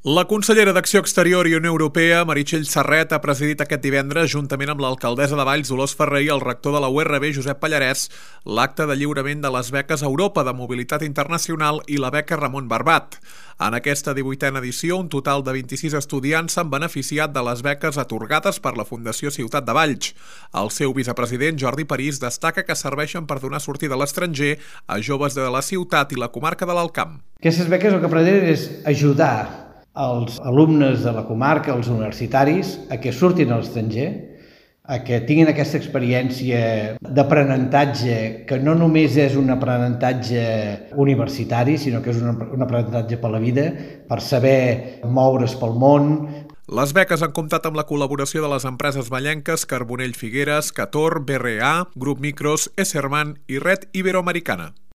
La consellera d'Acció Exterior i Unió Europea, Meritxell Serret, ha presidit aquest divendres, juntament amb l'alcaldessa de Valls, Dolors Ferrer, i el rector de la URB, Josep Pallarès, l'acte de lliurament de les beques Europa de Mobilitat Internacional i la beca Ramon Barbat. En aquesta 18a edició, un total de 26 estudiants s'han beneficiat de les beques atorgades per la Fundació Ciutat de Valls. El seu vicepresident, Jordi París, destaca que serveixen per donar sortida a l'estranger a joves de la ciutat i la comarca de l'Alt Camp. Aquestes beques el que pretenen és ajudar els alumnes de la comarca, els universitaris, a que surtin a l'estranger, a que tinguin aquesta experiència d'aprenentatge, que no només és un aprenentatge universitari, sinó que és un aprenentatge per la vida, per saber moure's pel món. Les beques han comptat amb la col·laboració de les empreses vallenques Carbonell Figueres, Cator, BRA, Grup Micros, Esserman i Red Iberoamericana.